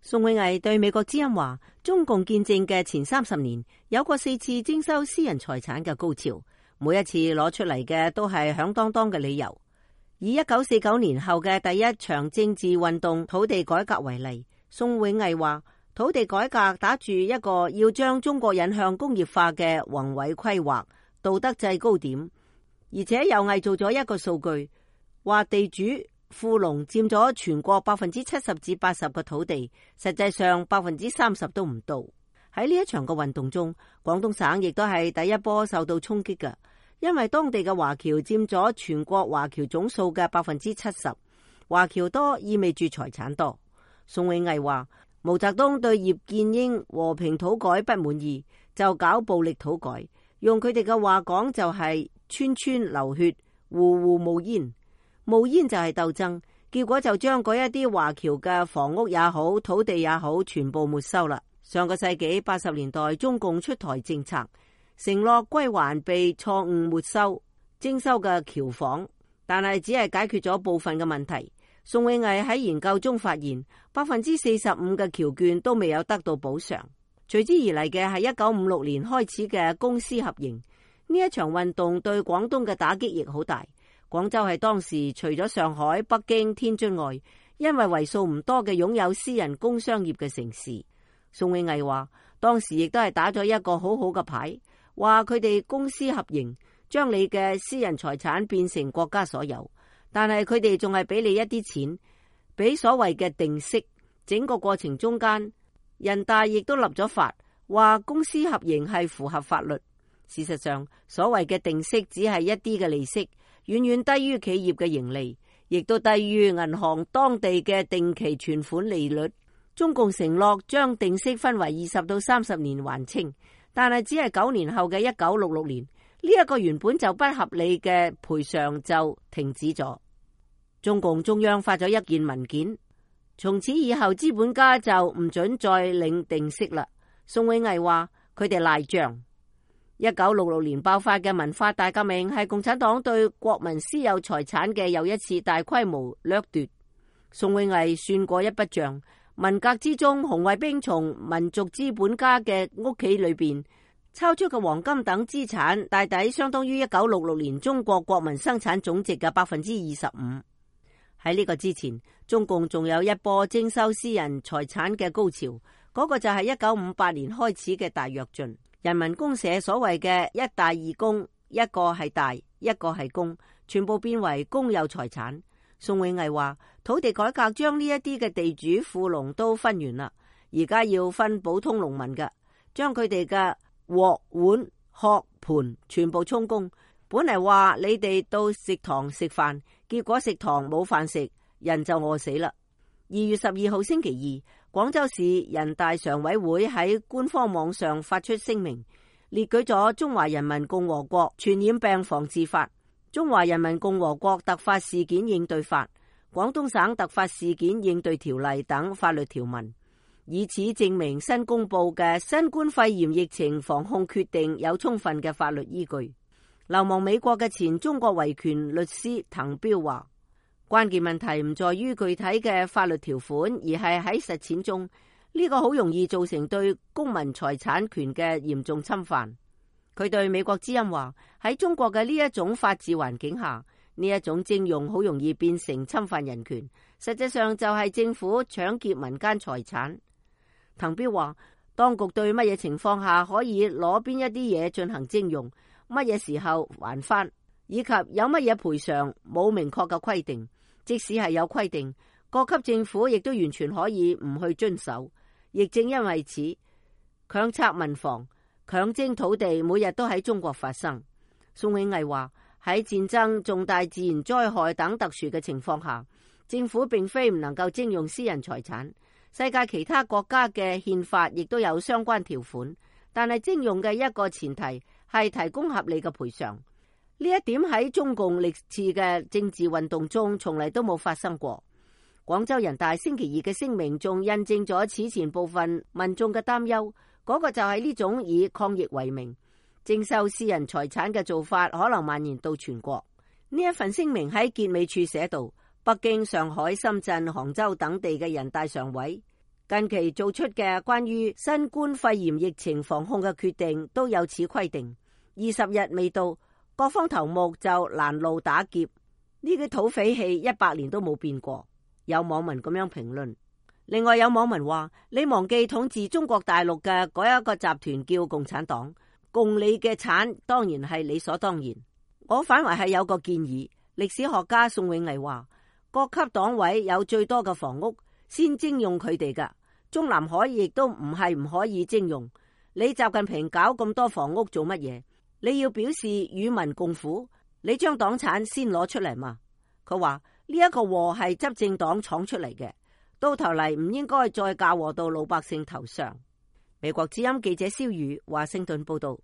宋永毅對美國之音話，中共建政嘅前30年有過4次徵收私人財產嘅高潮，每一次攞出嚟嘅都係響當當嘅理由。以1949年後嘅第一場政治運動土地改革為例，宋永毅話，土地改革打住一個要將中國引向工業化嘅宏偉規劃，道德制高點，而且又偽造咗一個數據，話地主富農佔咗全國70%至80%嘅土地，實際上30%都唔到。喺呢一場嘅運動中，廣東省亦都係第一波受到衝擊嘅，因為當地嘅華僑佔咗全國華僑總數嘅70%，華僑多意味住財產多。宋永毅話，毛澤東對葉劍英和平土改不滿意，就搞暴力土改，用佢哋嘅話講就係村村流血，戶戶冒煙。冒煙就係鬥爭，結果就將嗰一啲華僑嘅房屋也好，土地也好，全部沒收啦。上個世紀80年代，中共出台政策，承諾歸還被錯誤沒收徵收嘅僑房，但係只係解決咗部分嘅問題。宋永毅喺研究中發現，45%嘅僑眷都未有得到補償。隨之而嚟嘅係1956年開始嘅公私合營，呢一場運動對廣東嘅打擊亦好大。廣州係當時除咗上海、北京、天津外，因為為數唔多嘅擁有私人工商業嘅城市。宋永毅話，當時亦都係打咗一個好好嘅牌，話佢哋公私合營，將你嘅私人財產變成國家所有，但係佢哋仲係俾你一啲錢，俾所謂嘅定息。整個過程中間，人大亦都立咗法，話公私合營係符合法律。事實上，所謂嘅定息只係一啲嘅利息，遠遠低於企業嘅盈利，亦都低於銀行當地嘅定期存款利率。中共承諾將定息分為20到30年還清，但係只係9年後嘅1966年，呢一個原本就不合理嘅賠償就停止咗。中共中央發咗一件文件，從此以後資本家就唔准再領定息啦。宋永毅話佢哋賴賬。1966年爆發嘅文化大革命係共產黨對國民私有財產嘅又一次大規模掠奪。宋永毅算過一筆賬，文革之中紅衛兵從民族資本家嘅屋企裏邊抄出嘅黃金等資產，大抵相當於1966年中國國民生產總值嘅25%。喺呢個之前，中共仲有一波徵收私人財產嘅高潮，嗰個就係1958年開始嘅大躍進。人民公社所謂嘅一大二公，一個係大，一個係公，全部變為公有財產。宋永毅話，土地改革將呢一啲嘅地主富農都分完啦，而家要分普通農民嘅，將佢哋嘅鑊碗殼盤全部充公。本嚟話你哋到食堂食飯，結果食堂冇飯食，人就餓死啦。2月12號星期二，廣州市人大常委會喺官方網上發出聲明，列舉咗《中華人民共和國傳染病防治法》、《中華人民共和國突發事件應對法》、《廣東省突發事件應對條例》等法律條文，以此證明新公布嘅新冠肺炎疫情防控決定有充分嘅法律依據。流亡美國嘅前中國維權律師滕彪話，關鍵問題唔在於具體嘅法律條款，而係喺實踐中，呢個好容易造成對公民財產權嘅嚴重侵犯。佢對美國之音話，喺中國嘅呢一種法治環境下，呢一種徵用好容易變成侵犯人權，實際上就係政府搶劫民間財產。滕彪話，當局對乜嘢情況下可以攞邊一啲嘢進行徵用，乜嘢時候還翻，以及有乜嘢賠償，冇明確嘅規定。即使係有規定，各級政府亦都完全可以唔去遵守。亦正因為此，強拆民房、強徵土地每日都喺中國發生。宋永毅話，喺戰爭、重大自然災害等特殊嘅情況下，政府並非唔能夠徵用私人財產。世界其他國家嘅憲法亦都有相關條款，但係徵用嘅一個前提係提供合理嘅賠償。呢一點喺中共歷次嘅政治運動中從嚟都冇發生過。廣州人大星期二嘅聲明仲印證咗此前部分民眾嘅擔憂，嗰個就係呢種以抗疫為名徵收私人財產嘅做法可能蔓延到全國。呢一份聲明喺結尾處寫道，北京、上海、深圳、杭州等地嘅人大常委近期做出嘅關於新冠肺炎疫情防控嘅決定都有此規定。20日未到，各方頭目就攔路打劫，呢啲土匪氣100年都冇變過。有網民咁樣評論。另外有網民話：你忘記統治中國大陸嘅嗰一個集團叫共產黨，共你嘅產當然係理所當然。我反為係有個建議，歷史學家宋永毅話：各級黨委有最多嘅房屋，先徵用佢哋噶。中南海亦都唔係唔可以徵用。你習近平搞咁多房屋做乜嘢？你要表示與民共苦，你將黨產先攞出嚟嘛？佢話呢一個禍係執政黨闖出嚟嘅，到頭嚟唔應該再嫁禍到老百姓頭上。美國之音記者蕭宇華盛頓報道。